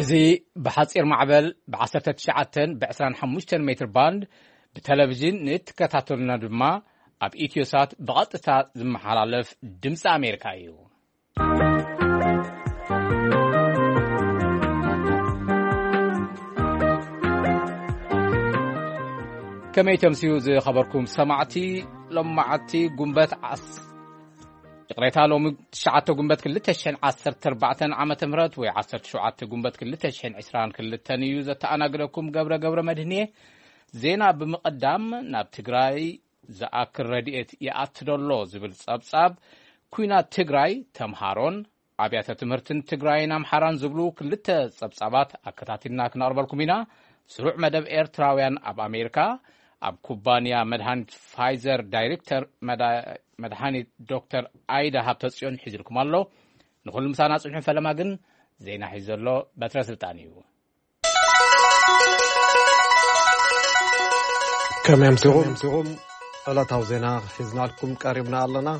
እዚ ብሓጺር ማዕበል ብ19 ብ25 ሜትር ባንድ ብቴሌቪዥን ንእትከታተሉና ድማ ኣብ ኢትዮሳት ብቐጥታ ዝመሓላለፍ ድምፂ ኣሜሪካ እዩ። ከመይ ተምስዩ ዝኸበርኩም ሰማዕቲ፣ ሎማዓቲ ጉንበት ዓስ-፣ ይቕሬታ፣ ሎሚ ትሽዓተ ጉንበት ክልተ ሽሕን ዓሰርተ ኣርባዕተን ዓመተ ምህረት ወይ ዓሰርተ ሸውዓተ ጉንበት ክልተ ሽሕን ዕስራን ክልተን እዩ። ዘተኣናግደኩም ገብረ ገብረ መድህን እየ። ዜና ብምቕዳም፣ ናብ ትግራይ ዝኣክል ረድኤት ይኣቲ ዶ ኣሎ ዝብል ጸብጻብ፣ ኲናት ትግራይ፣ ተምሃሮን ኣብያተ ትምህርትን ትግራይን ኣምሓራን ዝብሉ ክልተ ጸብጻባት ኣከታቲልና ክነቕርበልኩም ኢና። ስሩዕ መደብ ኤርትራውያን ኣብ ኣሜሪካ፣ ኣብ ኩባንያ መድሃኒት ፋይዘር ዳይሬክተር መዳ-፣ መድሃኒት ዶክተር ኣይዳ ሃብተጽዮን ሒዝልኩም ኣሎ። ንኹሉ ምሳና ጽንሑ። ፈለማ ግን ዜና ሒዙ ዘሎ በትረ ስልጣን እዩ። ከመይ ኣምሲኹም? ዕለታዊ ዜና ሒዝናልኩም ቀሪብና ኣለና።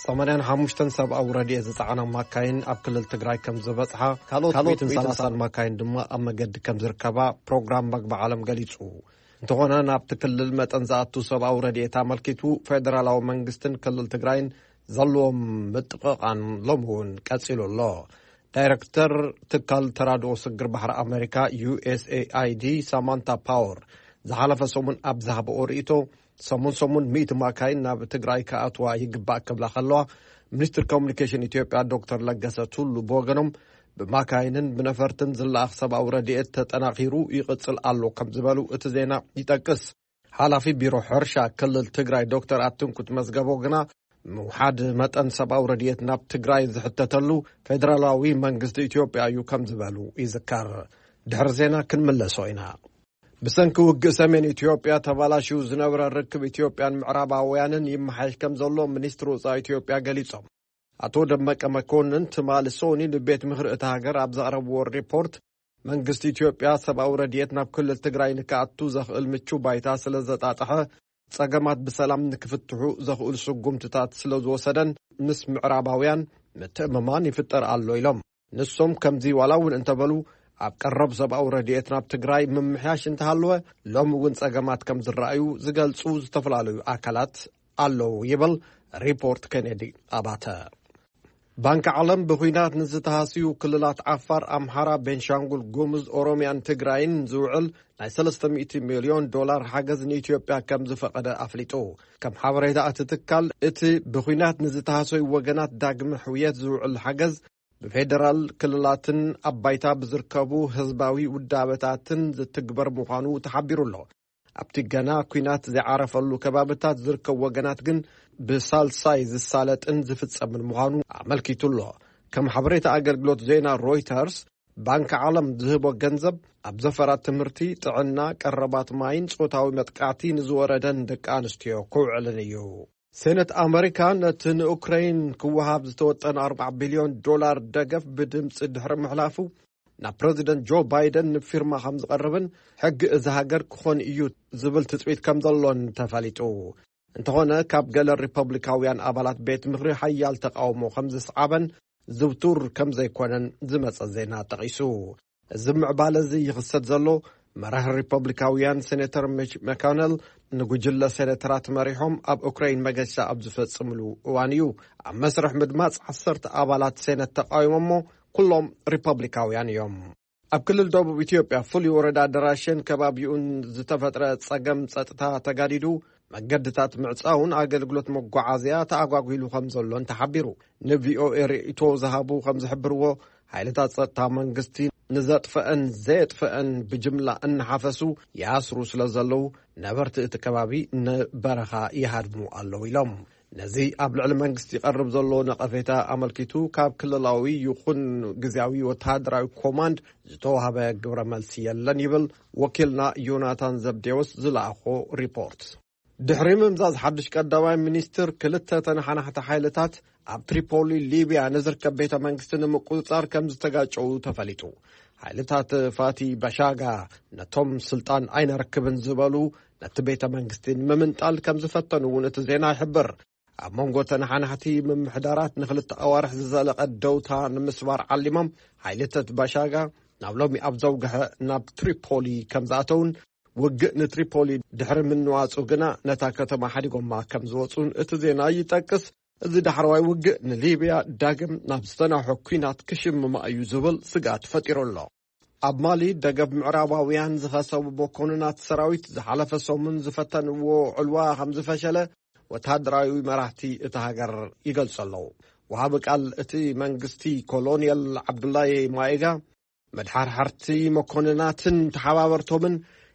ሰማንያን ሓሙሽተን ሰብኣዊ ረድኤት ዝጸዓና ማካይን ኣብ ክልል ትግራይ ከም ዝበጽሓ፣ ካልኦት ሚእትን ሰላሳን ማካይን ድማ ኣብ መገዲ ከም ዝርከባ ፕሮግራም መግቢ ዓለም ገሊጹ። እንተኾነ፣ ናብቲ ክልል መጠን ዝኣቱ ሰብኣዊ ረድኤት ኣመልኪቱ ፌደራላዊ መንግስትን ክልል ትግራይን ዘለዎም ምጥቕቓን ሎሚ እውን ቀጺሉ ኣሎ። ዳይረክተር ትካል ተራድኦ ስግር ባሕሪ ኣሜሪካ፣ ዩ ኤስ ኤ ኣይ ዲ፣ ሳማንታ ፓወር፣ ዝሓለፈ ሰሙን ኣብ ዝሃበኦ ርእይቶ፣ ሰሙን ሰሙን ሚእቲ ማካይን ናብ ትግራይ ክኣትዋ ይግባእ ክብላ ከለዋ፣ ሚኒስትር ኮሙኒኬሽን ኢትዮጵያ ዶክተር ለገሰ ቱሉ ብወገኖም፣ ብማካይንን ብነፈርትን ዝለኣኽ ሰብኣዊ ረድኤት ተጠናኺሩ ይቕጽል ኣሎ ከም ዝበሉ እቲ ዜና ይጠቅስ። ሓላፊ ቢሮ ሕርሻ ክልል ትግራይ ዶክተር ኣትንኩት መዝገቦ ግና፣ ምውሓድ መጠን ሰብኣዊ ረድኤት ናብ ትግራይ ዝሕተተሉ ፌደራላዊ መንግስቲ ኢትዮጵያ እዩ ከም ዝበሉ ይዝከር። ድሕሪ ዜና ክንምለሶ ኢና። ብሰንኪ ውግእ ሰሜን ኢትዮጵያ ተባላሽዩ ዝነበረ ርክብ ኢትዮጵያን ምዕራባውያንን ይመሓየሽ ከም ዘሎ ሚኒስትሪ ወጻኢ ኢትዮጵያ ገሊጾም። ኣቶ ደመቀ መኮንን ትማሊ ሶኒ ንቤት ምኽሪ እታ ሃገር ኣብ ዘቕረብዎ ሪፖርት፣ መንግስቲ ኢትዮጵያ ሰብኣዊ ረድኤት ናብ ክልል ትግራይ ንክኣቱ ዘኽእል ምቹ ባይታ ስለ ዘጣጥሐ፣ ጸገማት ብሰላም ንክፍትሑ ዘኽእሉ ስጉምትታት ስለ ዝወሰደን ምስ ምዕራባውያን ምትእምማን ይፍጠር ኣሎ ኢሎም። ንሶም ከምዚ ዋላ እውን እንተበሉ፣ ኣብ ቀረብ ሰብኣዊ ረድኤት ናብ ትግራይ ምምሕያሽ እንተሃለወ፣ ሎሚ እውን ጸገማት ከም ዝረኣዩ ዝገልጹ ዝተፈላለዩ ኣካላት ኣለዉ ይብል ሪፖርት ኬኔዲ ኣባተ። ባንኪ ዓለም ብኹናት ንዝተሃስዩ ክልላት ዓፋር፣ ኣምሓራ፣ ቤንሻንጉል ጉሙዝ፣ ኦሮሚያን ትግራይን ዝውዕል ናይ ሰለስተ ሚእቲ ሚልዮን ዶላር ሓገዝ ንኢትዮጵያ ከም ዝፈቐደ ኣፍሊጡ። ከም ሓበሬታ እቲ ትካል፣ እቲ ብኹናት ንዝተሃሰዩ ወገናት ዳግመ ሕውየት ዝውዕል ሓገዝ ብፌደራል ክልላትን ኣብ ባይታ ብዝርከቡ ህዝባዊ ውዳበታትን ዝትግበር ምዃኑ ተሓቢሩ ኣሎ። ኣብቲ ገና ኲናት ዘይዓረፈሉ ከባብታት ዝርከቡ ወገናት ግን ብሳልሳይ ዝሳለጥን ዝፍጸምን ምዃኑ ኣመልኪቱ ኣሎ። ከም ሓበሬታ ኣገልግሎት ዜና ሮይተርስ፣ ባንኪ ዓለም ዝህቦ ገንዘብ ኣብ ዘፈራት ትምህርቲ፣ ጥዕና፣ ቀረባት ማይን ጾታዊ መጥቃዕቲ ንዝወረደን ደቂ ኣንስትዮ ክውዕልን እዩ። ሴነት ኣመሪካ ነቲ ንኡክረይን ክወሃብ ዝተወጠነ ኣርባዓ ቢልዮን ዶላር ደገፍ ብድምፂ ድሕሪ ምሕላፉ፣ ናብ ፕረዚደንት ጆ ባይደን ንፊርማ ከም ዝቐርብን ሕጊ እዛ ሃገር ክኾን እዩ ዝብል ትፅቢት ከም ዘሎን ተፈሊጡ። እንተኾነ፣ ካብ ገለ ሪፐብሊካውያን ኣባላት ቤት ምኽሪ ሓያል ተቃውሞ ከም ዝስዓበን ዝውቱር ከም ዘይኮነን ዝመጸ ዜና ጠቒሱ። እዚ ምዕባለ እዚ ይኽሰት ዘሎ፣ መራሒ ሪፐብሊካውያን ሴኔተር ሚች መኮነል ንጉጅለ ሴኔተራት መሪሖም ኣብ ኡክራይን መገሻ ኣብ ዝፈጽምሉ እዋን እዩ። ኣብ መስርሕ ምድማጽ ዓሰርተ ኣባላት ሴነት ተቃዊሞሞ፣ ኩሎም ሪፐብሊካውያን እዮም። ኣብ ክልል ደቡብ ኢትዮጵያ ፍሉይ ወረዳ ደራሼን ከባቢኡን ዝተፈጥረ ጸገም ጸጥታ ተጋዲዱ፣ መገድታት ምዕጻውን ኣገልግሎት መጓዓዝያ ተኣጓጒሉ ከም ዘሎን ተሓቢሩ። ንቪኦኤ ርእይቶ ዝሃቡ ከም ዝሕብርዎ፣ ሓይልታት ጸጥታ መንግስቲ ንዘጥፈአን ዘየጥፈአን ብጅምላ እናሓፈሱ ይኣስሩ ስለ ዘለዉ፣ ነበርቲ እቲ ከባቢ ንበረኻ ይሃድሙ ኣለዉ ኢሎም። ነዚ ኣብ ልዕሊ መንግስቲ ይቐርብ ዘሎ ነቐፌታ ኣመልኪቱ፣ ካብ ክልላዊ ይኹን ግዝያዊ ወተሃደራዊ ኮማንድ ዝተዋህበ ግብረ መልሲ የለን ይብል ወኪልና ዮናታን ዘብዴዎስ ዝለኣኾ ሪፖርት። ድሕሪ ምምዛዝ ሓድሽ ቀዳማይ ሚኒስትር፣ ክልተ ተነሓናሕቲ ሓይልታት ኣብ ትሪፖሊ ሊብያ ንዝርከብ ቤተ መንግስቲ ንምቁጽጻር ከም ዝተጋጨዉ ተፈሊጡ። ሓይልታት ፋቲ ባሻጋ ነቶም ስልጣን ኣይነረክብን ዝበሉ ነቲ ቤተ መንግስቲ ንምምንጣል ከም ዝፈተኑ እውን እቲ ዜና ይሕብር። ኣብ መንጎ ተነሓናሕቲ ምምሕዳራት ንኽልተ ኣዋርሕ ዝዘለቐ ደውታ ንምስባር ዓሊሞም፣ ሓይልታት ባሻጋ ናብ ሎሚ ኣብ ዘውግሐ ናብ ትሪፖሊ ከም ዝኣተውን፣ ውግእ ንትሪፖሊ ድሕሪ ምንዋጹ ግና ነታ ከተማ ሓዲጎማ ከም ዝወጹን እቲ ዜና ይጠቅስ። እዚ ዳሕረዋይ ውግእ ንሊብያ ዳግም ናብ ዝተናውሐ ኲናት ክሽምማ እዩ ዝብል ስግኣት ፈጢሩ ኣሎ። ኣብ ማሊ፣ ደገፍ ምዕራባውያን ዝኸሰቡ መኮንናት ሰራዊት ዝሓለፈ ሰሙን ዝፈተንዎ ዕልዋ ከም ዝፈሸለ ወተሃደራዊ መራሕቲ እታ ሃገር ይገልጹ ኣለዉ። ወሃቢ ቃል እቲ መንግስቲ ኮሎኔል ዓብዱላይ ማኤጋ፣ መድሓርሓርቲ መኮንናትን ተሓባበርቶምን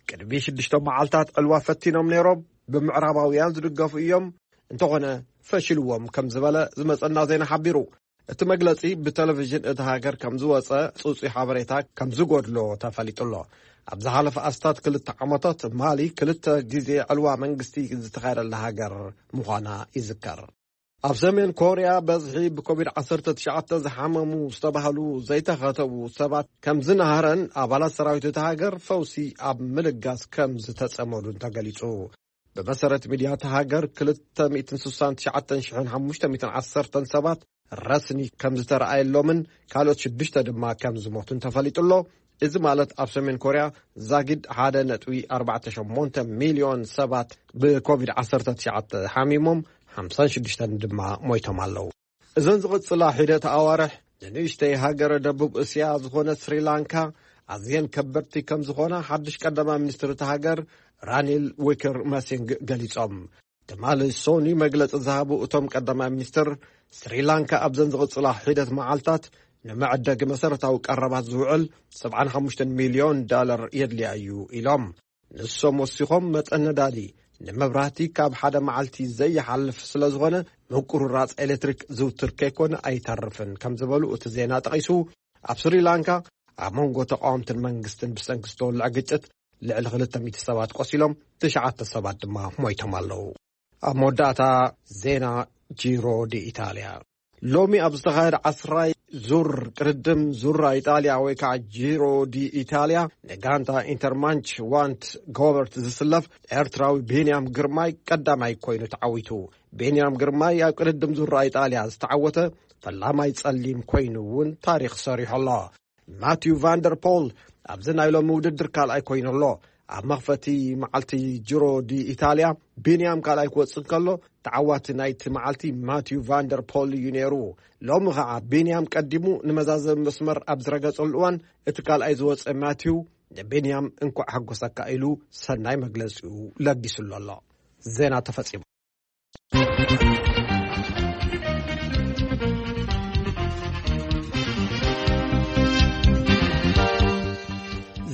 ቅድሚ ሽዱሽተ መዓልታት ዕልዋ ፈቲኖም ነይሮም፣ ብምዕራባውያን ዝድገፉ እዮም፣ እንተኾነ ፈሽልዎም ከም ዝበለ ዝመጸና ዜና ሓቢሩ። እቲ መግለጺ ብቴሌቪዥን እታ ሃገር ከም ዝወጸ ጽጹይ ሓበሬታ ከም ዝጎድሎ ተፈሊጡ ኣሎ። ኣብ ዝሓለፈ ኣስታት ክልተ ዓመታት ማሊ ክልተ ግዜ ዕልዋ መንግስቲ ዝተኻየደላ ሃገር ምዃና ይዝከር። ኣብ ሰሜን ኮርያ በዝሒ ብኮቪድ ዓሰርተ ትሽዓተ ዝሓመሙ ዝተባህሉ ዘይተኸተቡ ሰባት ከም ዝነሃረን ኣባላት ሰራዊት እታ ሃገር ፈውሲ ኣብ ምልጋስ ከም ዝተጸመዱን ተገሊጹ። ብመሰረት ሚድያ እታ ሃገር ክልተ ሚእትን ስሳን ትሽዓተን ሽሕን ሓሙሽተ ሚእትን ዓሰርተን ሰባት ረስኒ ከም ዝተረኣየሎምን ካልኦት ሽዱሽተ ድማ ከም ዝሞቱን ተፈሊጡ ኣሎ። እዚ ማለት ኣብ ሰሜን ኮርያ ዛጊድ ሓደ ነጥቢ ኣርባዕተ ሸሞንተ ሚልዮን ሰባት ብኮቪድ ዓሰርተ ትሽዓተ ሓሚሞም፣ ሓምሳን ሽዱሽተን ድማ ሞይቶም ኣለዉ። እዘን ዝቕጽላ ሒደት ኣዋርሕ ንንእሽተይ ሃገረ ደቡብ እስያ ዝኾነት ስሪላንካ ኣዝየን ከበድቲ ከም ዝኾና ሓድሽ ቀዳማይ ሚኒስትር እታ ሃገር ራኒል ዊክር መሲንግ ገሊጾም። ትማሊ ሶኒ መግለጺ ዝሃቡ እቶም ቀዳማይ ሚኒስትር፣ ስሪላንካ ኣብዘን ዝቕጽላ ሒደት መዓልታት ንመዐደጊ መሰረታዊ ቀረባት ዝውዕል ሰብዓን ሓሙሽተን ሚልዮን ዳለር የድልያ እዩ ኢሎም። ንሶም ወሲኾም፣ መጠን ነዳዲ ንመብራህቲ ካብ ሓደ መዓልቲ ዘይሓልፍ ስለ ዝኾነ፣ ምቁርራጽ ኤሌክትሪክ ዝውትር ከይኮነ ኣይተርፍን ከም ዝበሉ እቲ ዜና ጠቒሱ፣ ኣብ ስሪላንካ ኣብ መንጎ ተቃወምትን መንግስትን ብሰንኪ ዝተወልዐ ግጭት ልዕሊ ክልተ ሚእቲ ሰባት ቆሲሎም፣ ትሽዓተ ሰባት ድማ ሞይቶም ኣለዉ። ኣብ መወዳእታ ዜና ጂሮ ዲ ኢታልያ። ሎሚ ኣብ ዝተኻየደ ዓስራይ ዙር ቅድድም ዙራ ኢጣልያ ወይ ከዓ ጂሮ ዲ ኢታልያ፣ ንጋንታ ኢንተርማንች ዋንት ጎበርት ዝስለፍ ኤርትራዊ ቢንያም ግርማይ ቀዳማይ ኮይኑ ተዓዊቱ። ቢንያም ግርማይ ኣብ ቅድድም ዙራ ኢጣልያ ዝተዓወተ ፈላማይ ጸሊም ኮይኑ እውን ታሪኽ ሰሪሑ ኣሎ። ማቲው ቫንደር ፖል ኣብዚ ናይ ሎሚ ውድድር ካልኣይ ኮይኑ ኣሎ። ኣብ መኽፈቲ መዓልቲ ጅሮ ዲ ኢታልያ፣ ቢንያም ካልኣይ ክወጽእ እንከሎ፣ ተዓዋቲ ናይቲ መዓልቲ ማቲው ቫንደር ፖል እዩ ነይሩ። ሎሚ ኸዓ ቢንያም ቀዲሙ ንመዛዘሚ መስመር ኣብ ዝረገጸሉ እዋን፣ እቲ ካልኣይ ዝወጸ ማቲው ንቢንያም እንኳዕ ሓጎሰካ ኢሉ ሰናይ መግለጺኡ ለጊሱሉ ኣሎ። ዜና ተፈጺሙ።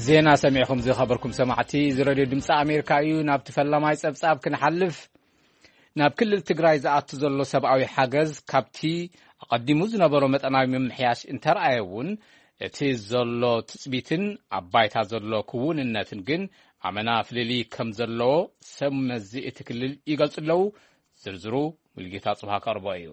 ዜና ሰሚዕኹም ዝኸበርኩም ሰማዕቲ፣ እዚ ሬድዮ ድምፂ ኣሜሪካ እዩ። ናብቲ ፈላማይ ጸብጻብ ክንሓልፍ፣ ናብ ክልል ትግራይ ዝኣቱ ዘሎ ሰብኣዊ ሓገዝ ካብቲ ኣቐዲሙ ዝነበሮ መጠናዊ ምምሕያሽ እንተረኣየ እውን፣ እቲ ዘሎ ትጽቢትን ኣብ ባይታ ዘሎ ክውንነትን ግን ኣመና ፍልልይ ከም ዘለዎ ሰብ መዚ እቲ ክልል ይገልጹ ኣለዉ። ዝርዝሩ ሙልጌታ ጽብሃ ከቕርቦ እዩ።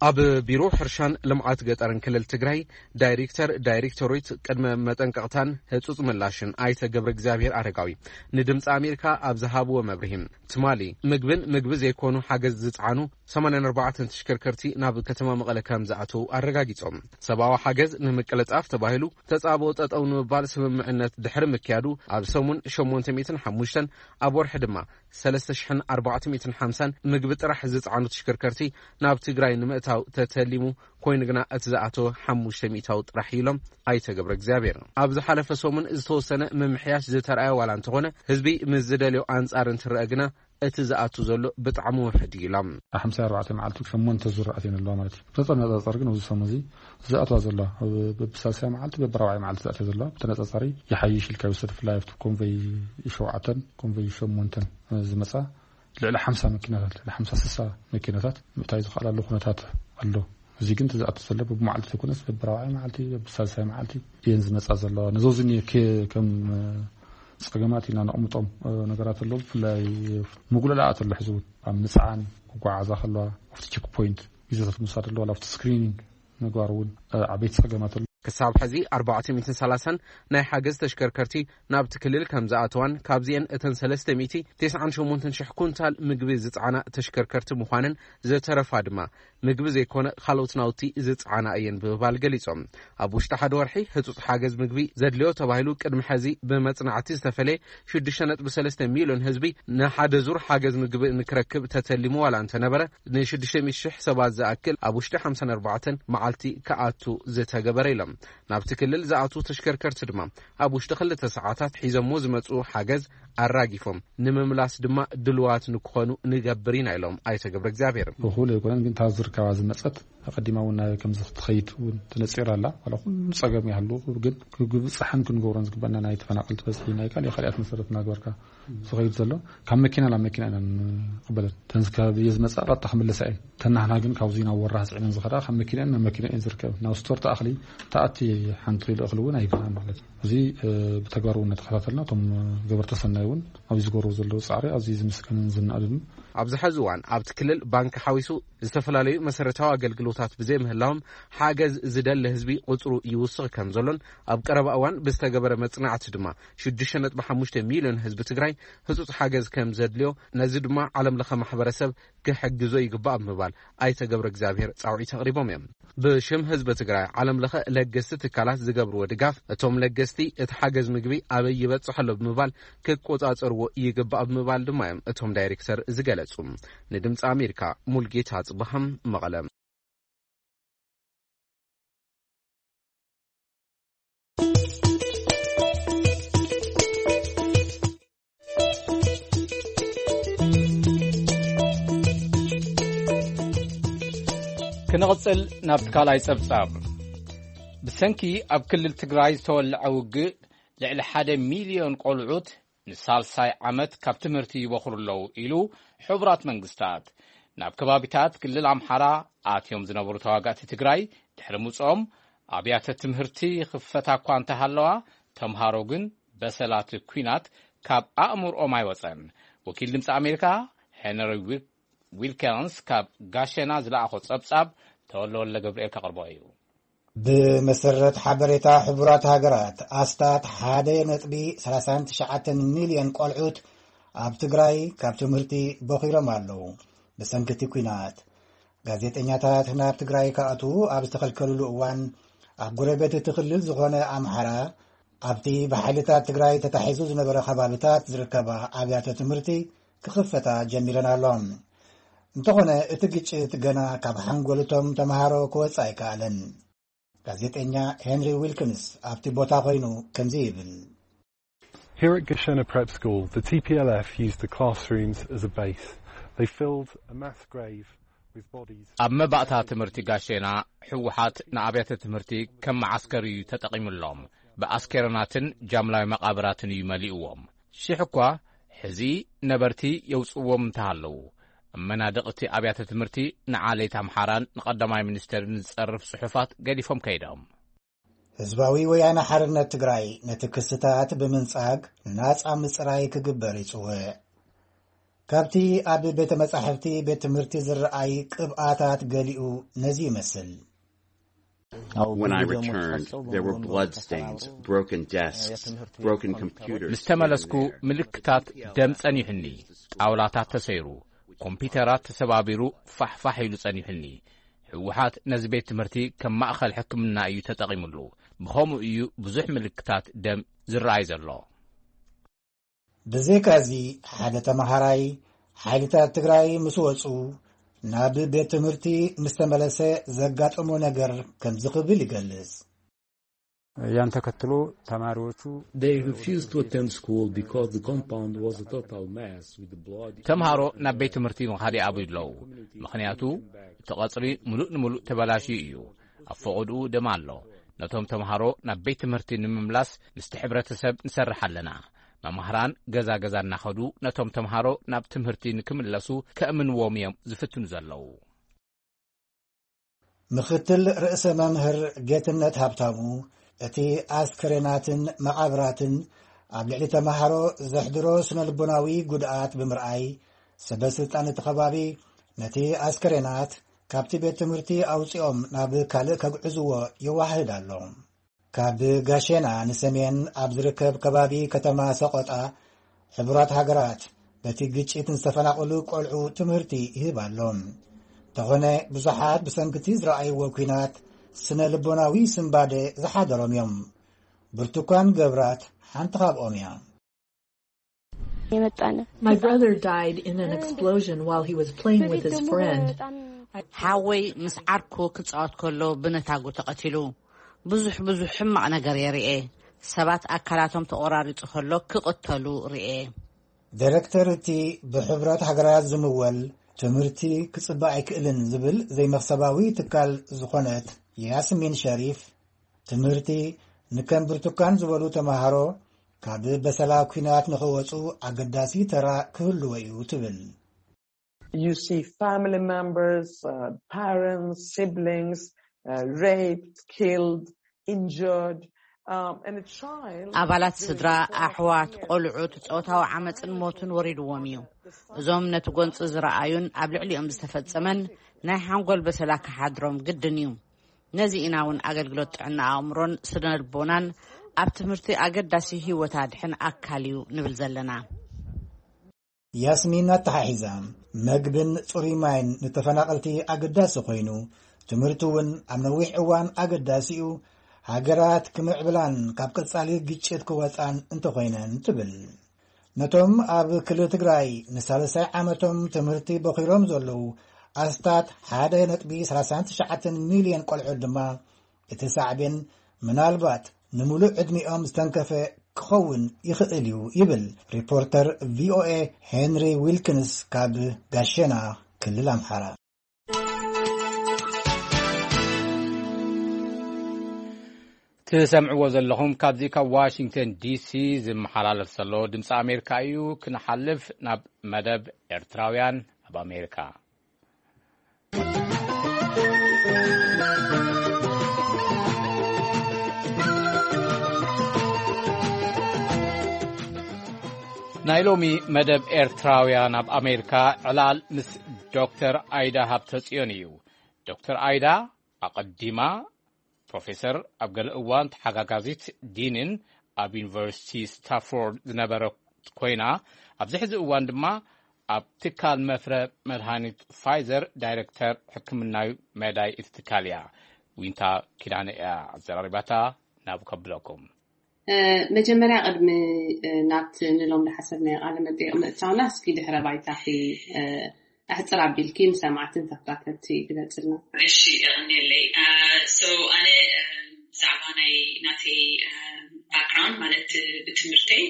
ኣብ ቢሮ ሕርሻን ልምዓት ገጠርን ክልል ትግራይ ዳይሬክተር ዳይሬክቶሬት ቅድመ መጠንቀቕታን ህጹጽ ምላሽን ኣይተ ገብረ እግዚኣብሔር ኣረጋዊ ንድምፂ ኣሜሪካ ኣብ ዝሃብዎ መብርሂ፣ ትማሊ ምግብን ምግቢ ዘይኮኑ ሓገዝ ዝፀዓኑ ሰማንያን ኣርባዕተን ተሽከርከርቲ ናብ ከተማ መቐለ ከም ዝኣተዉ ኣረጋጊጾም። ሰብኣዊ ሓገዝ ንምቅልጣፍ ተባሂሉ ተጻብኦ ጠጠው ንምባል ስምምዕነት ድሕሪ ምክያዱ፣ ኣብ ሰሙን ሸሞንተ ሚእትን ሓሙሽተን፣ ኣብ ወርሒ ድማ ሰለስተ ሽሕን ኣርባዕተ ሚእትን ሓምሳን ምግቢ ጥራሕ ዝጸዓኑ ተሽከርከርቲ ናብ ትግራይ ንምእታው ተተሊሙ ኮይኑ ግና፣ እቲ ዝኣተወ ሓሙሽተ ሚእታዊ ጥራሕ ኢሎም ኣይተ ገብረ እግዚኣብሔር። ኣብ ዝሓለፈ ሰሙን ዝተወሰነ ምምሕያሽ ዝተረኣየ ዋላ እንተኾነ፣ ህዝቢ ምስ ዝደልዮ ኣንጻር እንትረአ ግና፣ እቲ ዝኣቱ ዘሎ ብጣዕሚ ውሕድ እዩ ኢሎም። ሓምሳ ኣርባዕተ መዓልቲ ሸሞንተ ዙር ኣትየን ኣለዋ ማለት እዩ። ብተነጻጻሪ ግን ኣብዚ ሰሙን እዚ ዝኣትዋ ዘለዋ፣ በብሳልሳይ መዓልቲ፣ በብራብዓይ መዓልቲ ዝኣትያ ዘለዋ ብተነጻጻሪ ይሓይሽ ኢልካ ይውሰድ። ብፍላይ ኣብቲ ኮንቨይ ሸውዓተን ኮንቨይ ሸሞንተን ዝመጻ ልዕሊ ሓምሳ መኪናታት፣ ልዕሊ ሓምሳ ስሳ መኪናታት ምእታይ ዝኸኣላሉ ኩነታት ኣሎ። እዚ ግን እቲ ዝኣቱ ዘሎ በብመዓልቲ ዘይኮነስ በብራብዓይ መዓልቲ፣ በብሳልሳይ መዓልቲ እየን ዝመጻ ዘለዋ። ነዞ እዚ ከም ጸገማት ኢና ነቕምጦም ነገራት ኣለዉ። ብፍላይ ምጉልላኣት ኣሎ። ሕዚ እውን ኣብ ምጽዓን ክጓዓዛ ከለዋ ኣብቲ ቸክ ፖይንት ግዜታት ምውሳድ ኣለዋ። ኣብቲ ስክሪኒንግ ምግባር እውን ዓበይቲ ጸገማት ኣሎ። ክሳብ ሕዚ ኣርባዕተ ሚእትን ሰላሳን ናይ ሓገዝ ተሽከርከርቲ ናብቲ ክልል ከም ዝኣተዋን፣ ካብዚአን እተን ሰለስተ ሚእቲ ተስዓን ሸሞንተን ሽሕ ኩንታል ምግቢ ዝጸዓና ተሽከርከርቲ ምዃነን፣ ዝተረፋ ድማ ምግቢ ዘይኮነ ካልኦት ናውቲ ዝጸዓና እየን ብምባል ገሊጾም። ኣብ ውሽጢ ሓደ ወርሒ ህጹጽ ሓገዝ ምግቢ ዘድልዮ ተባሂሉ ቅድሚ ሕዚ ብመጽናዕቲ ዝተፈለየ ሽዱሽተ ነጥቢ ሰለስተ ሚልዮን ህዝቢ ንሓደ ዙር ሓገዝ ምግቢ ንክረክብ ተተሊሙ ዋላ እንተነበረ፣ ንሽዱሽተ ሚእቲ ሽሕ ሰባት ዝኣክል ኣብ ውሽጢ ሓምሳን ኣርባዕተን መዓልቲ ክኣቱ ዝተገበረ ኢሎም። ናብቲ ክልል ዝኣትዉ ተሽከርከርቲ ድማ ኣብ ውሽጢ ክልተ ሰዓታት ሒዞሞ ዝመጽኡ ሓገዝ ኣራጊፎም ንምምላስ ድማ ድልዋት ንክኾኑ ንገብር ኢና ኢሎም ኣይተ ገብረ እግዚኣብሔር። እኹል ኣይኮነን፣ ግን እታ ዝርከባ ዝመጸት ኣቐዲማ እውን ናብ ከምዚ ክትኸይድ እውን ተነጺራ ኣላ። ዋላ ኩሉ ጸገም ይሃሉ፣ ግን ክብጽሓን ክንገብሮን ዝግበና ናይ ተፈናቐልቲ በዝሒ ናይ ካልእ ካልኣት መሰረት እናገበርካ ዝኸይድ ዘሎ፣ ካብ መኪና ናብ መኪና ኢና ንቕበለን። ተን ካብ እየ ዝመጻ ቀጥታ ክምለሳ እየን። ተናህና ግን ካብዚ ናብ ወራህ ጽዒነን ዝኸዳ ካብ መኪና ናብ መኪና እየን ዝርከብ። ናብ ስቶር ተኣኽሊ ተኣቲ ሓንቲ ኪሎ እኽሊ እውን ኣይብልናን ማለት እዩ። እዚ፣ እ፣ ብተግባር እውን እናተኸታተልና እቶም ገበርቲ ሰናይ እውን ኣብዚ ዝገብርዎ ዘለዉ ጻዕሪ ኣዝዩ ዝምስገንን ዝናእድን። ኣብዚ ሕዚ እዋን ኣብቲ ክልል ባንክ ሓዊሱ ዝተፈላለዩ መሰረታዊ ኣገልግሎታት ብዘይምህላዎም ሓገዝ ዝደሊ ህዝቢ ቁጽሩ ይውስኽ ከም ዘሎን ኣብ ቀረባ እዋን ብዝተገበረ መጽናዕቲ ድማ ሽዱሽተ ነጥቢ ሓሙሽተ ሚልዮን ህዝቢ ትግራይ ህጹጽ ሓገዝ ከም ዘድልዮ፣ ነዚ ድማ ዓለም ለኸ ማሕበረሰብ ክሕግዞ ይግባእ ብምባል ኣይተ ገብረ እግዚኣብሔር ጻውዒት ኣቕሪቦም እዮም። ብሽም ህዝቢ ትግራይ ዓለም ለኸ ለገስቲ ትካላት ዝገብርዎ ድጋፍ፣ እቶም ለገስቲ እቲ ሓገዝ ምግቢ ኣበይ ይበጽሕ ኣሎ ብምባል ክቆጻጸርዎ ይግባእ ብምባል ድማ እዮም እቶም ዳይሬክተር ዝገለጹ። ንድምፂ ኣሜሪካ ሙልጌታ ጽባሃም መቐለ። ክንቕጽል ናብቲ ካልኣይ ጸብጻብ። ብሰንኪ ኣብ ክልል ትግራይ ዝተወልዐ ውግእ ልዕሊ ሓደ ሚልዮን ቆልዑት ንሳልሳይ ዓመት ካብ ትምህርቲ ይበኹሩ ኣለዉ ኢሉ ሕቡራት መንግስታት። ናብ ከባቢታት ክልል ኣምሓራ ኣትዮም ዝነበሩ ተዋጋእቲ ትግራይ ድሕሪ ምጽኦም ኣብያተ ትምህርቲ ይኽፈታ እኳ እንተሃለዋ፣ ተምሃሮ ግን በሰላት ኲናት ካብ ኣእምርኦም ኣይወጸን። ወኪል ድምፂ ኣሜሪካ ሄንሪ ዊል-፣ ዊልከንስ ካብ ጋሸና ዝለኣኾ ጸብጻብ ተወልደ ወልደ ገብርኤል ከቕርቦ እዩ። ብመሰረት ሓበሬታ ሕቡራት ሃገራት፣ ኣስታት ሓደ ነጥቢ ሰላሳን ትሽዓተን ሚልዮን ቆልዑት ኣብ ትግራይ ካብ ትምህርቲ በኺሮም ኣለዉ። ብሰንኪ እቲ ኲናት፣ ጋዜጠኛታት ናብ ትግራይ ክኣትዉ ኣብ ዝተኸልከልሉ እዋን፣ ኣብ ጎረቤት እቲ ክልል ዝኾነ ኣምሓራ፣ ኣብቲ ብሓይልታት ትግራይ ተታሒዙ ዝነበረ ከባቢታት ዝርከባ ኣብያተ ትምህርቲ ክኽፈታ ጀሚረን ኣሎ። እንተኾነ፣ እቲ ግጭት ገና ካብ ሓንጎል እቶም ተምሃሮ ክወጽእ ኣይከኣለን። ጋዜጠኛ ሄንሪ ዊልኪንስ ኣብቲ ቦታ ኮይኑ ከምዚ ይብል። Here at Gashena Prep School, the T P L F used the classrooms as a base. They filled a mass grave with bodies. ኣብ መባእታ ትምህርቲ ጋሼና፣ ህወሓት ንኣብያተ ትምህርቲ ከም መዓስከር እዩ ተጠቒሙሎም። ብኣስከረናትን ጃምላዊ መቓብራትን እዩ መሊእዎም። ሽሕ እኳ ሕዚ ነበርቲ የውጽዎም እንተሃለዉ፣ ኣብ መናድቕ እቲ ኣብያተ ትምህርቲ ንዓሌት ኣምሓራን ንቐዳማይ ሚኒስተርን ዝጸርፍ ጽሑፋት ገዲፎም ከይዶም። ህዝባዊ ወያነ ሓርነት ትግራይ ነቲ ክስታት ብምንጻግ ናጻ ምጽራይ ክግበር ይጽውዕ። ካብቲ ኣብ ቤተ መጻሕፍቲ ቤት ትምህርቲ ዝረኣይ ቅብኣታት ገሊኡ ነዚ ይመስል። When I returned, there were bloodstains, broken desks, broken computers. ምስ ተመለስኩ፣ ምልክታት ደም ጸኒሑኒ። ጣውላታት ተሰይሩ፣ ኮምፒውተራት ተሰባቢሩ፣ ፋሕፋሕ ኢሉ ጸኒሑኒ። ህወሓት ነዚ ቤት ትምህርቲ ከም ማእከል ሕክምና እዩ ተጠቒሙሉ። ብኸምኡ እዩ ብዙሕ ምልክታት ደም ዝረኣይ ዘሎ። ብዘይካዚ፣ ሓደ ተመሃራይ ሓይልታት ትግራይ ምስ ወጹ ናብ ቤት ትምህርቲ ምስ ተመለሰ ዘጋጠሞ ነገር ከምዚ ክብል ይገልጽ። ያን ተከትሎ ተማሪዎቹ They refused to attend school because the compound was a total mess with the blood. ተምሃሮ ናብ ቤት ትምህርቲ ምኻድ ይኣብዩ ኣለዉ። ምኽንያቱ፣ እቲ ቐጽሪ ምሉእ ንምሉእ ተበላሽዩ እዩ። ኣብ ፈቐድኡ ደም ኣሎ። ነቶም ተምሃሮ ናብ ቤት ትምህርቲ ንምምላስ ምስቲ ሕብረተሰብ ንሰርሕ ኣለና። መማህራን ገዛ ገዛ እናኸዱ ነቶም ተምሃሮ ናብ ትምህርቲ ንክምለሱ ከእምንዎም እዮም ዝፍትኑ ዘለዉ። ምኽትል ርእሰ መምህር ጌትነት ሃብታሙ፣ እቲ ኣስከሬናትን መቓብራትን ኣብ ልዕሊ ተምሃሮ ዘሕድሮ ስነ ልቦናዊ ጉድኣት ብምርኣይ፣ ሰበ ስልጣን እቲ ከባቢ ነቲ ኣስከሬናት ካብቲ ቤት ትምህርቲ ኣውጺኦም ናብ ካልእ ከግዕዝዎ የዋህድ ኣሎ። ካብ ጋሼና ንሰሜን ኣብ ዝርከብ ከባቢ ከተማ ሰቆጣ፣ ሕቡራት ሃገራት በቲ ግጭት ንዝተፈናቐሉ ቆልዑ ትምህርቲ ይህብ ኣሎ። እንተኾነ፣ ብዙሓት ብሰንክቲ ዝረኣይዎ ኲናት ስነ ልቦናዊ ስንባደ ዝሓደሮም እዮም። ብርቱኳን ገብራት ሓንቲ ካብኦም እያ። የመጣነ My brother died in an explosion while he was playing with his friend. ሓወይ ምስ ዓርኩ ክጻወት ከሎ ብነታጉ ተቐቲሉ። ብዙሕ ብዙሕ ሕማቕ ነገር የርኤ። ሰባት ኣካላቶም ተቖራሪጹ ከሎ ክቕተሉ ርኤ። ዳይሬክተር እቲ ብሕቡራት ሃገራት ዝምወል ትምህርቲ ክጽበ ኣይክእልን ዝብል ዘይመኽሰባዊ ትካል ዝኾነት ያስሚን ሸሪፍ፣ ትምህርቲ ንከም ብርቱካን ዝበሉ ተማሃሮ ካብ በሰላ ኲናት ንኽወጹ ኣገዳሲ ተራ ክህልዎ እዩ ትብል። You see family members, uh, parents, siblings, uh, raped, killed, injured. Um, and a child ኣባላት ስድራ፣ ኣሕዋት፣ ቆልዑት ጾታዊ ዓመፅን ሞትን ወሪድዎም እዩ። እዞም ነቲ ጎንፂ ዝረኣዩን ኣብ ልዕሊኦም ዝተፈጸመን ናይ ሓንጎል በሰላ ክሓድሮም ግድን እዩ። ነዚ ኢና እውን ኣገልግሎት ጥዕና ኣእምሮን ስነ ልቦናን ኣብ ትምህርቲ ኣገዳሲ ህይወት ኣድሕን ኣካል እዩ ንብል ዘለና። ያስሚን ኣተሓሒዛ፣ መግብን ጽሩይ ማይን ንተፈናቐልቲ ኣገዳሲ ኮይኑ፣ ትምህርቲ እውን ኣብ ነዊሕ እዋን ኣገዳሲ እዩ። ሃገራት ክምዕብላን ካብ ቀጻሊ ግጭት ክወጻን እንተኾይነን ትብል። ነቶም ኣብ ክልል ትግራይ ንሳልሳይ ዓመቶም ትምህርቲ በኺሮም ዘለዉ ኣስታት ሓደ ነጥቢ ሰላሳ ትሽዓተ ሚልዮን ቆልዑት ድማ፣ እቲ ሳዕቤን ምናልባት ንምሉእ ዕድሚኦም ዝተንከፈ ክኸውን ይኽእል እዩ ይብል ሪፖርተር ቪኦኤ ሄንሪ ዊልኪንስ ካብ ጋሸና፣ ክልል ኣምሓራ። ትሰምዕዎ ዘለኹም ካብዚ ካብ ዋሽንግተን ዲሲ ዝመሓላለፍ ዘሎ ድምፂ ኣሜሪካ እዩ። ክንሓልፍ ናብ መደብ ኤርትራውያን ኣብ ኣሜሪካ። ናይ ሎሚ መደብ ኤርትራውያን ኣብ ኣሜሪካ ዕላል ምስ ዶክተር ኣይዳ ሃብተጽዮን እዩ። ዶክተር ኣይዳ ኣቐዲማ ፕሮፌሰር፣ ኣብ ገለ እዋን ተሓጋጋዚት ዲንን ኣብ ዩኒቨርሲቲ ስታፎርድ ዝነበረት ኮይና፣ ኣብዚ ሕዚ እዋን ድማ ኣብ ትካል መፍረ መድሃኒት ፋይዘር ዳይሬክተር ሕክምናዊ መዳይ እቲ ትካል እያ። ዊንታ ኪዳነ እያ ኣዘራሪባታ። ናብ ከብለኩም። መጀመርያ ቅድሚ ናብቲ ንሎም ዝሓሰብናዮ ቃለ መጠይቕ ምእታውና፣ እስኪ ድሕረ ባይታኺ ኣሕፅር ኣቢልኪ ንሰማዕትን ተኸታተልቲ ግለፅልና። እሺ፣ የቐንየለይ። So ኣነ ብዛዕባ ናይ ናተይ ባክግራውንድ ማለት ብትምህርተይ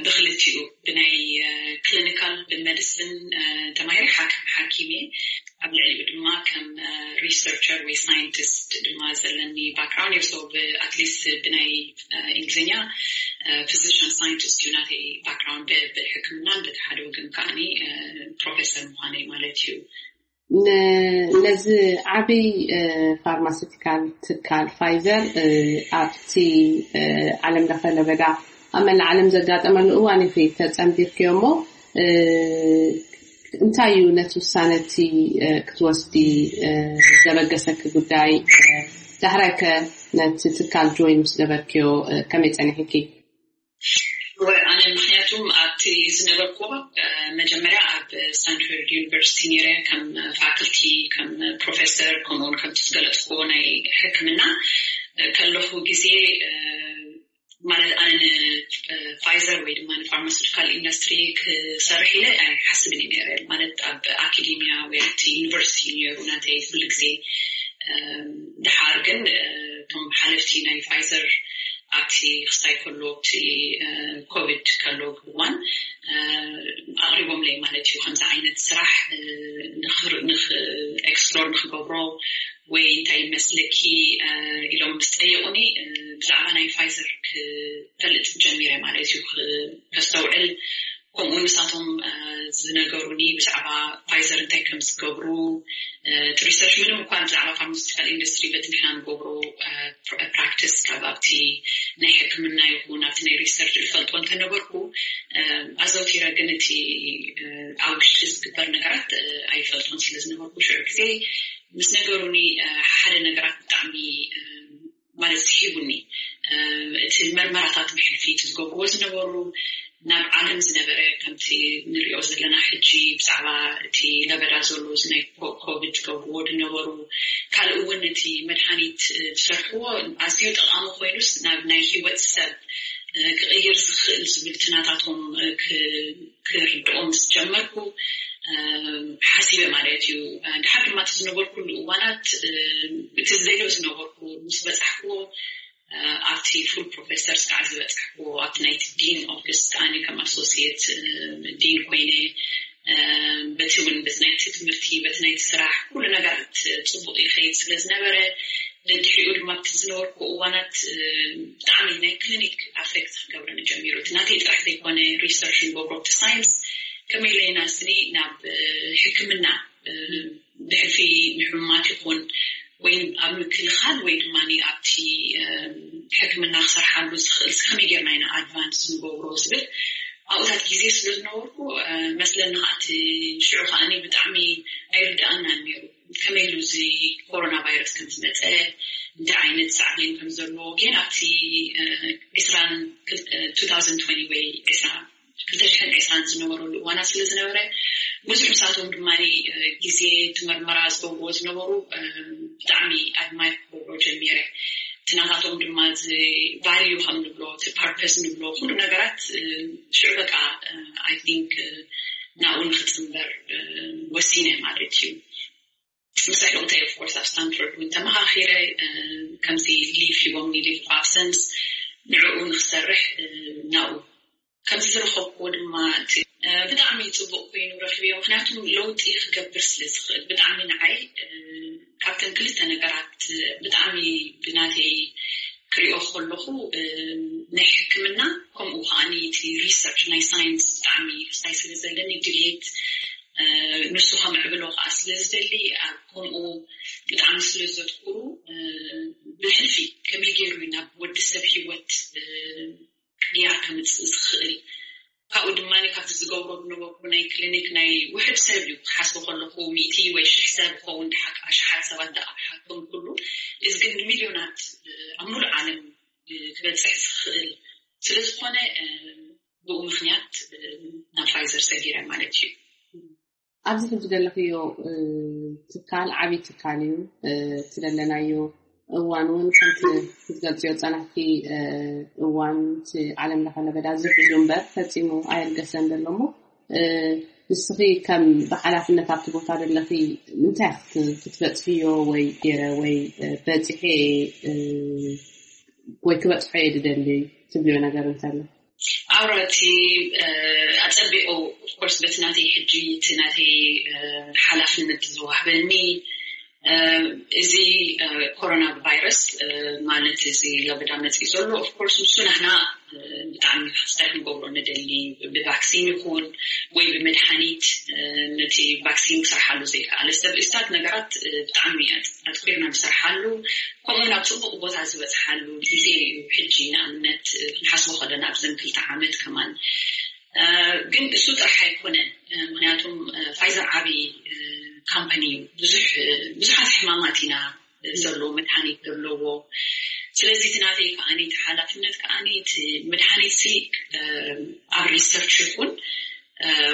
ብክልቲኡ ብናይ ክሊኒካል ብመዲሲን ተማሂረ ሓኪም ሓኪም እየ። ኣብ ልዕሊኡ ድማ ከም ሪሰርቸር ወይ ሳይንቲስት ድማ ዘለኒ ባክግራውንድ እዩ። So ኣትሊስት ብናይ እንግሊዝኛ ፊዚሽን ሳይንቲስት እዩ ናተይ ባክግራውንድ ብሕክምናን በቲ ሓደ ወገን ከዓኒ ፕሮፌሰር ምዃነይ ማለት እዩ። ነዚ ዓብይ ፋርማሲቲካል ትካል ፋይዘር ኣብቲ ዓለም ለኸ ለበዳ ኣብ መላእ ዓለም ዘጋጠመሉ እዋን ኢኺ ተጸንቢርክዮ እሞ እንታይ እዩ ነቲ ውሳነ እቲ ክትወስዲ ዘበገሰኪ ጉዳይ? ዳሕራይ ከ ነቲ ትካል ጆይን ምስ ገበርክዮ ከመይ ጸኒሕኪ? ኣነ ምክንያቱም ኣብቲ ዝነበርኩ መጀመርያ ኣብ ስታንፎርድ ዩኒቨርሲቲ ነይረ ከም ፋክልቲ ከም ፕሮፌሰር ከምኡውን ከምቲ ዝገለፅኩዎ ናይ ሕክምና ከለኹ ግዜ ማለት ኣነ ንፋይዘር ወይ ድማ ንፋርማሲቲካል ኢንዱስትሪ ክሰርሕ ኢለ ኣይሓስብን እዩ ነይረ። ማለት ኣብ ኣካዴሚያ ወይ ኣብቲ ዩኒቨርሲቲ ነይሩ ናተይ ኩሉ ግዜ። ድሓር ግን እቶም ሓለፍቲ ናይ ፋይዘር ኣብቲ ክስታይ ከሎ እቲ ኮቪድ ከሎ እዋን ኣቕሪቦምለይ ማለት እዩ። ከምዚ ዓይነት ስራሕ ንክ ኤክስፕሎር ንክገብሮ ወይ እንታይ ይመስለኪ ኢሎም ምስ ጠየቁኒ ብዛዕባ ናይ ፋይዘር ክፈልጥ ጀሚረ ማለት እዩ። ከስተውዕል ከምኡ ንሳቶም ዝነገሩኒ ብዛዕባ ፋይዘር እንታይ ከም ዝገብሩ እቲ ሪሰርች ምንም እኳ ብዛዕባ ፋርማሲቲካል ኢንዱስትሪ በቲ ንሕና ንገብሮ ፕራክቲስ ካብ ኣብቲ ናይ ሕክምና ይኹን ኣብቲ ናይ ሪሰርች ዝፈልጦ እንተነበርኩ ኣዘውቲረ ግን እቲ ኣብ ውሽጢ ዝግበር ነገራት ኣይፈልጦን ስለ ዝነበርኩ ሽዑ ግዜ ምስ ነገሩኒ ሓደ ነገራት ብጣዕሚ ማለት ስሒቡኒ። እቲ መርመራታት ብሕልፊ እቲ ዝገብርዎ ዝነበሩ ናብ ዓለም ዝነበረ ከምቲ ንሪኦ ዘለና ሕጂ ብዛዕባ እቲ ለበዳ ዘሎ እዚ ናይ ኮ- ኮቪድ ዝገብርዎ ዝነበሩ ካልእ እውን እቲ መድሃኒት ዝሰርሕዎ ኣዝዩ ጠቓሚ ኮይኑስ ናብ ናይ ህይወት ሰብ ክቕይር ዝኽእል ዝብል ትናታቶም ክርድኦም ምስ ጀመርኩ ሓሲበ ማለት እዩ። ድሓር ድማ እቲ ዝነበርኩሉ እዋናት እቲ ዘይዶ ዝነበርኩ ምስ በፃሕኩዎ ኣብቲ ፉል ፕሮፌሰር ስካዕ ዝበፅሕኩዎ ኣብቲ ናይቲ ዲን ኦፊስ ኣነ ከም ኣሶሲየት ዲን ኮይነ በቲ እውን በቲ ናይቲ ትምህርቲ በቲ ናይቲ ስራሕ ኩሉ ነገራት ፅቡቅ ይኸይድ ስለ ዝነበረ ንድሕሪኡ ድማ ኣብቲ ዝነበርኩ እዋናት ብጣዕሚ ናይ ክሊኒክ ኣፌክት ክገብረኒ ጀሚሩ። እቲ ናተይ ጥራሕ ዘይኮነ ሪሰርች ንገብሮ ኣብቲ ሳይንስ ከመይ ኢለ ኢና ስኒ ናብ ሕክምና ብሕልፊ ንሕሙማት ይኹን ወይ ኣብ ምክልኻል ወይ ድማ ኣብቲ ሕክምና ክሰርሓሉ ዝኽእል ከመይ ጌርና ኢና ኣድቫንስ ንገብሮ ዝብል ኣብኡታት ግዜ ስለ ዝነበርኩ መስለኒ ከዓቲ ሽዑ ከዓኒ ብጣዕሚ ኣይርድኣናን ነይሩ። ከመይ ኢሉ እዚ ኮሮና ቫይረስ ከም ዝመፀ እንታይ ዓይነት ሳዕቤን ከም ዘለዎ ግን ኣብቲ ዒስራን ወይ ዒስራ ክልተ ሽሕን ዕስራን ዝነበረሉ እዋናት ስለ ዝነበረ ብዙሕ ምሳቶም ድማ ግዜ ትመርመራ ዝገብርዎ ዝነበሩ ብጣዕሚ ኣድማየር ክገብሮ ጀሚረ። እቲ ናታቶም ድማ እዚ ቫልዩ ከም ንብሎ እቲ ፐርፐስ ንብሎ ኩሉ ነገራት ሽዑ በቃ ኣይ ቲንክ ናብኡ ንክፅምበር ወሲነ ማለት እዩ። ምስ ኣሕዋተይ ኦፍኮርስ ኣብ ስታንፎርድ እውን ተመኻኺረ ከምዚ ሊቭ ሂቦምኒ ሊቭ ኣብሰንስ ንዕኡ ንክሰርሕ ናብኡ ከምዚ ዝረኸብኩዎ ድማ እቲ ብጣዕሚ ፅቡቅ ኮይኑ ረኪበዮ። ምክንያቱ ለውጢ ክገብር ስለ ዝኽእል ብጣዕሚ ንዓይ ካብተን ክልተ ነገራት ብጣዕሚ ብናተይ ክሪኦ ከለኹ ናይ ሕክምና ከምኡ ከዓ እቲ ሪሰርች ናይ ሳይንስ ብጣዕሚ ክሳይ ስለ ዘለኒ ድልየት ንሱ ከምዕብሎ ከዓ ስለ ዝደሊ ኣብ ከምኡ ብጣዕሚ ስለ ዘትኩሩ ብሕልፊ ከመይ ገይሩ ናብ ወዲ ሰብ ሂወት ቅያ ከምፅእ ዝኽእል ካብኡ ድማ ካብቲ ዝገብሮ ዝነበርኩ ናይ ክሊኒክ ናይ ውሕድ ሰብ እዩ ክሓስቦ ከለኹ ሚእቲ ወይ ሽሕ ሰብ ክኸውን ድሓ ኣሽሓት ሰባት ደኣ ክሓክም ኩሉ እዚ ግን ንሚልዮናት ኣብ ሙሉእ ዓለም ክበፅሕ ዝኽእል ስለ ዝኾነ ብኡ ምክንያት ናብ ፋይዘር ሰጊረ ማለት እዩ። ኣብዚ ሕጂ ዘለኽዮ ትካል ዓብዪ ትካል እዩ። እቲ ዘለናዮ እዋን እውን ከምቲ ክትገልፅዮ ዝፀናሕኪ እዋን እቲ ዓለም ለኸ ለበዳ ዝሕሉ እምበር ፈፂሙ ኣየልገሰን ዘሎ እሞ ንስኺ ከም ብሓላፍነት ኣብቲ ቦታ ዘለኺ እንታይ ክትበፅሕዮ ወይ ገይረ ወይ በፂሐ ወይ ክበፅሖ እየ ዝደሊ ትብልዮ ነገር እንተሎ? ኣውራ እቲ ኣፀቢቑ ኦፍኮርስ በቲ ናተይ ሕጂ እቲ ናተይ ሓላፍነት ዝዋህበኒ እዚ ኮሮና ቫይረስ ማለት እዚ ለበዳ መፅኢ ዘሎ ኦፍኮርስ ንሱ ናህና ብጣዕሚ ክስታይ ክንገብሮ ንደሊ ብቫክሲን ይኹን ወይ ብመድሓኒት ነቲ ቫክሲን ክሰርሓሉ ዘይከኣለ ሰብ እስታት ነገራት ብጣዕሚ ኣትኩርና ንሰርሓሉ ከምኡ ናብ ፅቡቅ ቦታ ዝበፅሓሉ ግዜ እዩ። ሕጂ ንኣብነት ክንሓስቦ ከለና ኣብዘን ክልተ ዓመት ከማን ግን እሱ ጥራሕ ኣይኮነን። ምክንያቱም ፋይዘር ዓብዪ ካምፓኒ እዩ። ብዙሕ ብዙሓት ሕማማት ኢና ዘለዎ መድሃኒት ዘለዎ ስለዚ እቲ ናተይ ከዓኒ እቲ ሓላፍነት ከዓኒ እቲ መድሃኒት ሲ ኣብ ሪሰርች ይኹን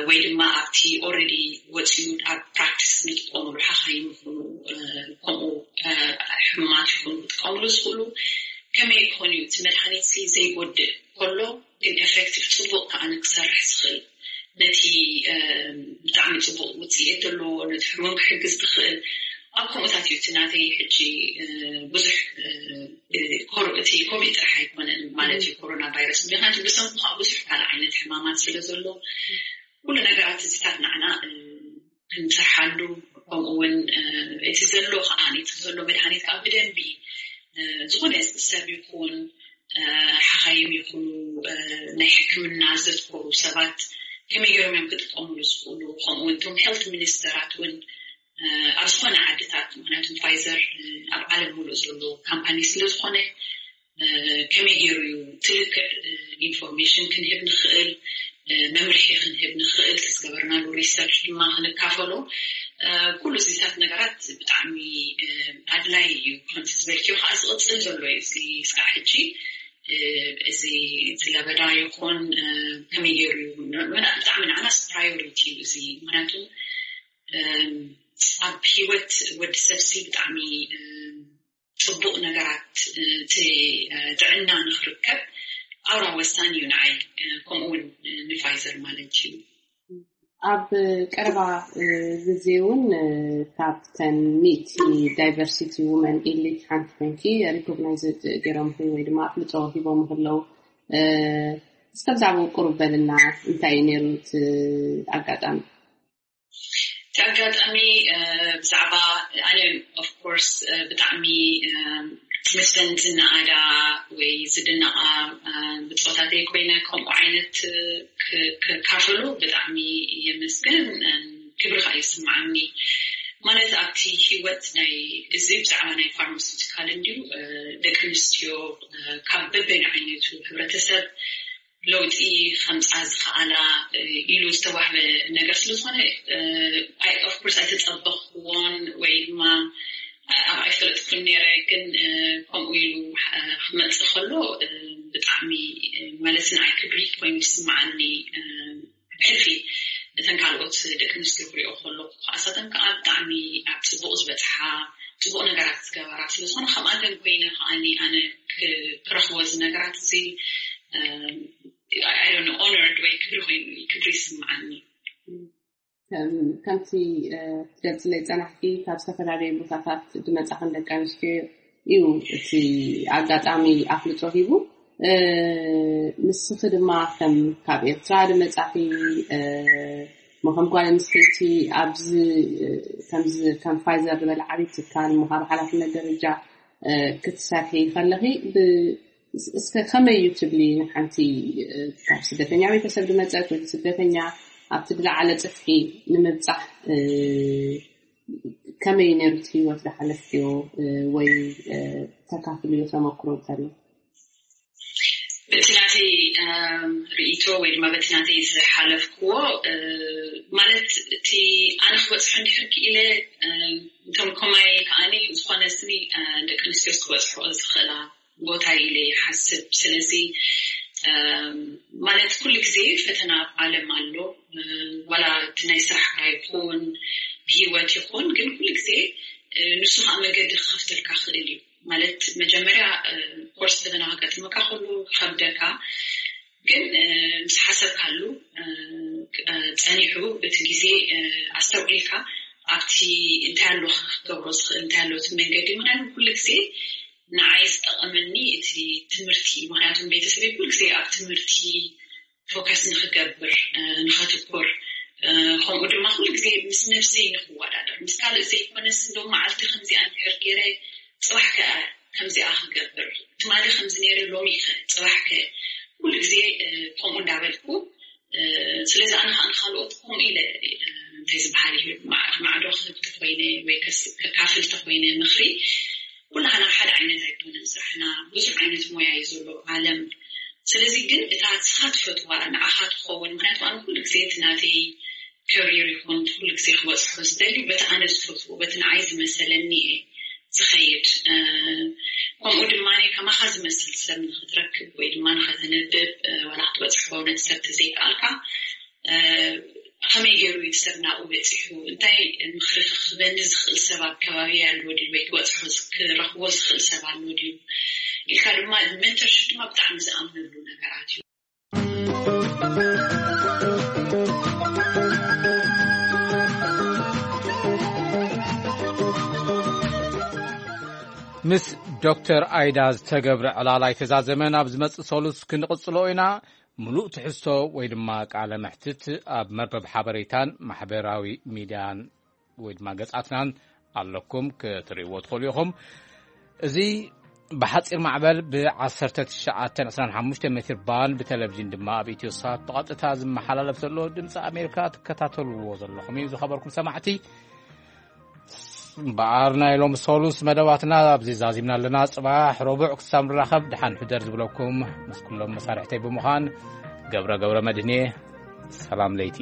ወይ ድማ ኣብቲ ኦረዲ ወፂኡ ኣብ ፕራክቲስ ንጥቀምሉ ሓኻይም ይኹኑ ከምኡ ሕሙማት ይኹኑ ክጥቀምሉ ዝኽእሉ ከመይ ክኾን እዩ እቲ መድሃኒት ሲ ዘይጎድእ ከሎ ግን ኤፌክቲቭ ፅቡቅ ከዓኒ ክሰርሕ ዝኽእል ነቲ ብጣዕሚ ፅቡቅ ውፅኢት ዘለዎ ነቲ ሕሙም ክሕግዝ ዝኽእል ኣብ ከምኡታት እዩ እቲ ናተይ ሕጂ ብዙሕ እቲ ኮቪድ ጥራሕ ኣይኮነን ማለት እዩ ኮሮና ቫይረስ ምክንያቱ ብሰንኩ ከዓ ብዙሕ ካልእ ዓይነት ሕማማት ስለ ዘሎ ኩሉ ነገራት እዚታት ንዓና ክንሰርሓሉ ከምኡ እውን እቲ ዘሎ ከዓ እቲ ዘሎ መድሃኒት ከዓ ብደንቢ ዝኾነ ሰብ ይኹን ሓኻይም ይኹኑ ናይ ሕክምና ዘትኮሩ ሰባት ከመይ ገይሮም እዮም ክጥቀምሉ ዝኽእሉ ከምኡ እውን እቶም ሄልት ሚኒስተራት እውን ኣብ ዝኾነ ዓድታት ምክንያቱም ፋይዘር ኣብ ዓለም ሙሉእ ዘሎ ካምፓኒ ስለ ዝኾነ ከመይ ገይሩ እዩ ትልክዕ ኢንፎርሜሽን ክንህብ ንኽእል መምርሒ ክንህብ ንኽእል ዝገበርናሉ ሪሰርች ድማ ክንካፈሎ ኩሉ እዚታት ነገራት ብጣዕሚ ኣድላይ እዩ። ከምቲ ዝበልክዮ ከዓ ዝቕፅል ይቕጽል ዘሎ እዩ። እዚ ስራሕ ሕጂ፣ እ፣ እዚ፣ እዚ ለበዳ ይኹን፣ እ፣ ከመይ ገይሩ እዩ? ን-፣ ን-፣ ብጣዕሚ ንዓናስ ፕራዮሪቲ እዩ እዚ። ምኽንያቱ፣ እም፣ ኣብ ህይወት ወዲ ሰብሲ ብጣዕሚ፣ እም፣ ጽቡቕ ነገራት፣ እ፣ እቲ፣ እ፣ ጥዕና ንኽርከብ ኣውራ ወሳኒ እዩ ንዓይ። እ፣ ከምኡ እውን፣ እ፣ ንፋይዘር ማለት እዩ። ኣብ ቀረባ፣ እ፣ ግዜ እውን፣ እ፣ ካብተን ሚእቲ ዳይቨርሲቲ ውመን ኤሊት ሓንቲ ኮይንኪ ሪኮግናይዝ ገይሮም ወይ ድማ ኣፍልጦ ሂቦም ከለዉ፣ እ፣ እስከ ብዛዕባኡ ቁሩብ በልና፣ እንታይ እዩ ነይሩ እቲ ኣጋጣሚ? እቲ ኣጋጣሚ፣ እ፣ ብዛዕባ ኣነ፣ ኦፍ ኮርስ፣ እ፣ ብጣዕሚ፣ እ፣ ምስለን ዝነኣዳ ወይ ዝድነቓ፣ እ፣ ብጾታተይ ኮይነ ከምኡ ዓይነት፣ እ፣ ክ-፣ ክካፈሎ ብጣዕሚ የመስግን። እ፣ ክብሪ ከኣ ይስምዓኒ። ማለት ኣብቲ ህይወት ናይ፣ እዚ ብዛዕባ ናይ ፋርማሲውቲካል እንድዩ፣ እ፣ ደቂ ኣንስትዮ፣ እ፣ ካብ በበይኑ ዓይነቱ ሕብረተሰብ ለውጢ ከምጻ ዝኸኣላ፣ እ፣ ኢሉ ዝተዋህበ ነገር ስለ ዝኾነ፣ እ፣ ኣይ-፣ ኦፍ ኮርስ ኣይተጸበኽዎን ወይ ድማ፣ እ፣ ኣብ ኣይፈለጥኩን ነይረ፣ ግን፣ እ፣ ከምኡ ኢሉ፣ እ፣ ክመጽእ ከሎ፣ እ፣ ብጣዕሚ፣ እ፣ ማለት ንዓይ ክብሪ ኮይኑ ይስምዓኒ። እ፣ ብሕልፊ እተን ካልኦት ደቂ ኣንስትዮ ክሪኦ ከለኹ፣ ከኣሳተን ከኣ ብጣዕሚ ኣብ ጽቡቕ ዝበጽሓ፣ ጽቡቕ ነገራት ዝገበራ ስለ ዝኾነ፣ ከምኣተን ኮይነ ከኣኒ ኣነ ክ-፣ ክረኽቦ እዚ ነገራት እዚ፣ እ፣ I don't know, ኦነርድ ወይ ክብሪ ኮይኑ፣ ክብሪ ይስምዓኒ። ከም-፣ ከምቲ፣ እ፣ ትገልጽለይ ጸናሕኪ፣ ካብ ዝተፈላለዩ ቦታታት ዝመጻኽን ደቂ ኣንስትዮ እዩ እቲ ኣጋጣሚ ኣፍልጦ ሂቡ። እ፣ ንስኺ ድማ ከም ካብ ኤርትራ ዝመጻኺ፣ እ፣ እሞ ከም ጓል ኣንስተይቲ ኣብዚ፣ እ፣ ከምዚ ከም ፋይዘር ዝበለ ዓብዪ ትካል እሞ ካብ ሓላፍነት ደረጃ፣ እ፣ ክትሰርሒ ከለኺ ብ-፣ እስ-፣ እስከ ከመይ እዩ ትብሊ ንሓንቲ፣ እ፣ ካብ ስደተኛ ቤተሰብ ዝመጸት ወይ ስደተኛ ኣብቲ ዝለዓለ ጽፍሒ ንምብጻሕ፣ እ፣ ከመይ ነይሩ እቲ ህይወት ዝሓለፍክዮ፣ እ፣ ወይ፣ እ፣ ተካፍልዮ ተመክሮ እንተሎ? በቲ ናተይ፣ እም፣ ርእይቶ ወይ ድማ በቲ ናተይ ዝሓለፍክዎ፣ እ፣ ማለት እቲ ኣነ ክበጽሖ እንድሕር ክኢለ፣ እም፣ እቶም ከማይ ከኣኒ ዝኾነ ስኒ፣ እ፣ ደቂ ኣንስትዮስ ክበጽሖ ዝኽእላ ቦታ ኢለ ይሓስብ። ስለዚ፣ እም፣ ማለት ኩሉ ግዜ ፈተና ኣብ ዓለም ኣሎ። እ፣ ዋላ እቲ ናይ ስራሕካ ይኹን ብህይወት ይኹን፣ ግን ኩሉ ግዜ፣ እ፣ ንሱ ከዓ መገዲ ክኸፍተልካ ክእል እዩ። ማለት መጀመርያ፣ እ፣ ኮርስ ፈተና ከጋጥመካ ከሎ ክኸብደካ፣ ግን፣ እ፣ ምስ ሓሰብካሉ፣ እ፣ እ፣ ጸኒሑ እቲ ግዜ፣ እ፣ ኣስተውዒልካ ኣብቲ እንታይ ኣሎ ክገብሮ ዝኽእል፣ እንታይ ኣሎ እቲ መንገዲ፣ ምናምን ኩሉ ግዜ ንዓይ ዝጠቐመኒ እቲ ትምህርቲ እዩ። ምኽንያቱም ቤተሰበይ ኩሉ ግዜ ኣብ ትምህርቲ ፎከስ ንኽገብር፣ እ፣ ንኸትኩር፣ እ፣ ከምኡ ድማ ኩሉ ግዜ ምስ ነብሰይ ንኽወዳደር፣ ምስ ካልእ ዘይኮነስ፣ እንደውም መዓልቲ ከምዚኣ እንድሕር ገይረ፣ ጽባሕ ከ ከምዚኣ ክገብር፣ ትማሊ ከምዚ ነይረ፣ ሎሚ ከ፣ ጽባሕ ከ፣ ኩሉ ግዜ፣ እ፣ ከምኡ እንዳበልኩ፣ እ፣ ስለዚ ኣነ ከዓ ንኻልኦት ከምኡ ኢለ፣ እ፣ እንታይ ዝበሃል እዩ፣ ማ-፣ ማዕዶ ክህብ ተኾይነ ወይ ከስ-፣ ከካፍል ተኾይነ ምኽሪ፣ ኩላህና ሓደ ዓይነት ኣይኮነን ስራሕና፣ ብዙሕ ዓይነት ሞያ እዩ ዘሎ ዓለም። ስለዚ ግን እታ ንስኻ ትፈትዋ ንዓኻ ትኸውን፣ ምኽንያቱ ኣነ ኩሉ ግዜ እቲ ናተይ ከሪር ይኹን ኩሉ ግዜ ክበጽሖ ዝደሊ በቲ ኣነ ዝፈትዎ፣ በቲ ንዓይ ዝመሰለኒ እየ ዝኸይድ። እ፣ ከምኡ ድማ ከማኻ ዝመስል ሰብ ንኽትረክብ ወይ ድማ ንኸተንብብ፣ እ፣ ዋላ ክትበጽሖ ነቲ ሰብ ተዘይከኣልካ፣ እ፣ ከመይ ገይሩ እዩ ሰብ ናብኡ በጺሑ? እንታይ ምኽሪ ክህበኒ ዝኽእል ሰብ ኣብ ከባቢ ኣሎ ድዩ? ወይ ክበጽሖ ዝ-፣ ክረኽቦ ዝኽእል ሰብ ኣሎ ድዩ? ኢልካ ድማ ሜንተርሺፕ ድማ ብጣዕሚ ዝኣምነሉ ነገራት እዩ። ምስ ዶክተር ኣይዳ ዝተገብረ ዕላል ኣይተዛዘመን። ኣብ ዝመጽእ ሰሉስ ክንቕጽሎ ኢና። ምሉእ ትሕዝቶ ወይ ድማ ቃለ መሕትት ኣብ መርበብ ሓበሬታን ማሕበራዊ ሚድያን ወይ ድማ ገጻትናን ኣለኩም፣ ክትርእይዎ ትኽእሉ ኢኹም። እዚ ብሓጺር ማዕበል ብ ዓሰርተ ትሽዓተ ዕስራን ሓሙሽተ ሜትር ባንድ፣ ብቴሌቪዥን ድማ ኣብ ኢትዮ ሳት ብቐጥታ ዝመሓላለፍ ዘሎ ድምፂ ኣሜሪካ ትከታተልዎ ዘለኹም እዩ። ዝኸበርኩም ሰማዕቲ፣ እምበኣር ናይ ሎሚ ሰሉስ መደባትና ኣብዚ ዛዚምና ኣለና። ጽባሕ ረቡዕ ክሳብ ንራኸብ ደሓን ሕደር ዝብለኩም ምስ ኩሎም መሳርሕተይ ብምዃን ገብረ ገብረ መድህኔ፣ ሰላም ለይቲ።